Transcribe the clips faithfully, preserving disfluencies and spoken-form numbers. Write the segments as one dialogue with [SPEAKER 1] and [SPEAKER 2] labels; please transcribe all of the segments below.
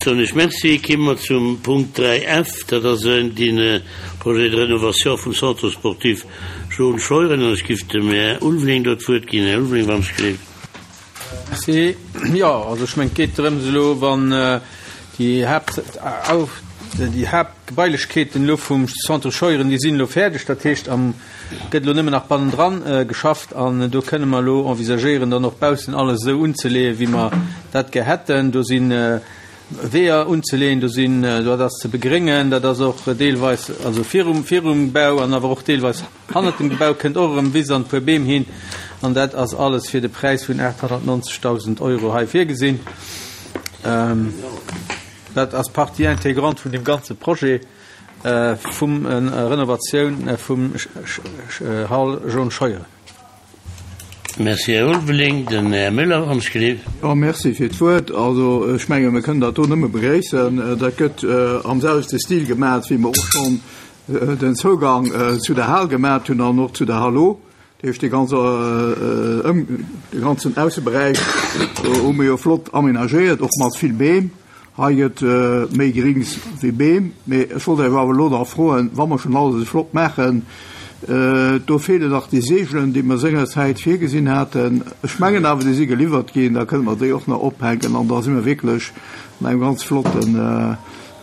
[SPEAKER 1] Soen ech Merci. Komme mer zum Punkt dräi F, dat ass de Projet de rénovation vum Centre sportif Jaune Scheuren. An ech giff dem Här Ulveling do d'Wuert ginn. Här Ulveling, wann ech gleef.
[SPEAKER 2] Merci. Jo, also ech mengen, et geet drëms elo, wann déi Haapt, déi Haaptgebailechkeeten elo vum Centre Scheuren, déi sinn elo fäerdeg. Dat heescht, am gëtt elo nëmmen nach bannendran geschafft an do kënne mer elo envisagéieren, dann och baussen alles esou unzeleeën, wéi mer dat gär hätten. Do sinn Weeër unzeleeën, do sinn, dat ass ze begréngen, dat ass och deelweis, also virum, virum Bau an awer och deelweis hannert dem Gebau kënnt och erëm Wiss an e puer Beem hin an dat ass alles fir de Präis vun aathonnertnonzegdausend Euro hei virgesinn. Dat ass Partie intégrante vun deem ganze Projet vum Renovatioun vum Hall Jaune Scheuren.
[SPEAKER 1] Merci, Här Ulveling. Den Här Müller, wann ech gleef.
[SPEAKER 3] Jo, merci fir d'Wuert. Also, ech menge mir kënnen dat do nëmme begréissen. Dat gëtt am selwechte Stil gemaach, wéi mer och schonn den Zougang zu der Hal gemaach hunn an och zu der Hallo. Dat heescht, dee ganze, dee ganzen Ausseberäich hu mir jo flott aménagéiert, och mat vill Beem. Hei gëtt méi Grings wéi Beem. Mee ech wollt Iech awer elo nach froen, wa mer schonn alles esou flott maachen, do feelen nach déi Seegelen, déi mer sengerzäit virgesinn haten. Ech mengen awer, déi si geliwwert ginn. Da kënne mer déi och nach ophänken an da si mer wierklech an engem ganz flotten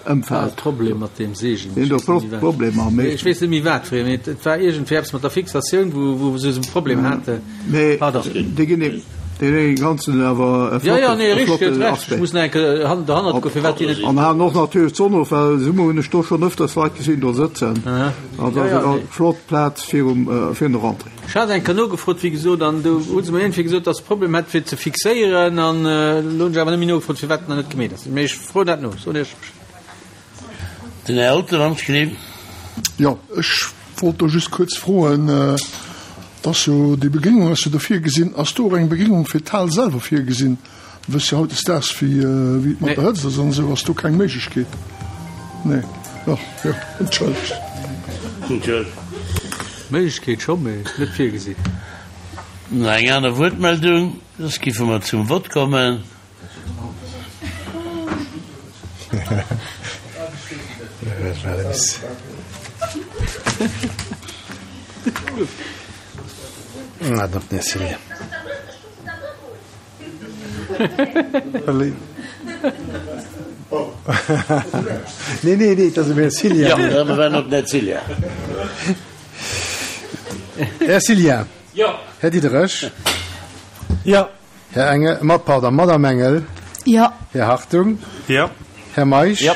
[SPEAKER 3] Ëmfeld.
[SPEAKER 2] Problem mat deem Seegelen.
[SPEAKER 3] Sinn do Problemer?
[SPEAKER 2] Mee ech weess net méi wat fir ee, mee et war iergendwéi eppes mat der Fixatioun, wou wou se esou e Problem haten.
[SPEAKER 3] Mee déi ginn ee deen ganzen awer e flotten Aspect.
[SPEAKER 2] Ech muss nach eng Kéier derhannert goen, firwat déi net.
[SPEAKER 3] An halen och natierlech d'Sonn of, well Summer hunn ech do schonn ëfters Leit gesinn do sëtzen. An dat ass eng flott Plaz virum virun der Rentrée.
[SPEAKER 2] Ech hat eng Kéier nogefrot, wéi gesot, an do hu se mer iergendwéi gesot, dass se Problem hätt fir ze fixéieren. An elo hunn ech awer net méi nogefrot, firwat dat nach net gemeet ass. Mee ech froen dat no, soen Iech Bescheed.
[SPEAKER 1] Den Här Altemann-Schleef.
[SPEAKER 4] Jo, ech wollt do just kuerz froen, et ass jo déi Begréngung ass jo do virgesinn, ass do och eng Begréngung fir d'Hal selwer virgesinn? Mir wësse jo hautdesdaags wéi wéi et mat der Hëtzt ass an esou. Ass do keng Méiglechkeet? Nee. Jo, jo, entschëllegt.
[SPEAKER 2] Méiglechkeet scho, mee net virgesinn.
[SPEAKER 1] Nach eng aner Wuertmeldung? Soss giffe mer zum Vott kommen.
[SPEAKER 5] Här Cillien. Här Diderich. Här Engel, ma pardon, Madame Engel.
[SPEAKER 6] Jo.
[SPEAKER 5] Här Hartung.
[SPEAKER 7] Jo.
[SPEAKER 5] Här Meisch.
[SPEAKER 1] Jo.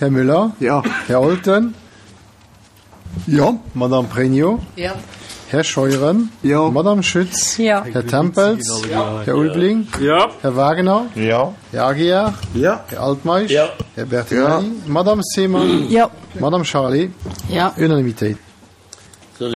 [SPEAKER 5] Här Müller.
[SPEAKER 3] Jo.
[SPEAKER 5] Här Olten.
[SPEAKER 4] Jo.
[SPEAKER 5] Madame Pregno.
[SPEAKER 6] Jo.
[SPEAKER 5] Här Scheuren.
[SPEAKER 3] Jo.
[SPEAKER 5] Madame Schütz.
[SPEAKER 6] Jo.
[SPEAKER 5] Här Tempels.
[SPEAKER 1] Jo.
[SPEAKER 5] Här Ulveling.
[SPEAKER 7] Jo.
[SPEAKER 5] Här Wagner.
[SPEAKER 7] Jo.
[SPEAKER 5] Här Aguiar.
[SPEAKER 7] Jo.
[SPEAKER 5] Här Altmeisch.
[SPEAKER 1] Jo.
[SPEAKER 5] Här Bertinelli. Madame Seemann.
[SPEAKER 6] Jo.
[SPEAKER 5] Madame Charlé.
[SPEAKER 6] Jo.
[SPEAKER 5] Unanimitéit.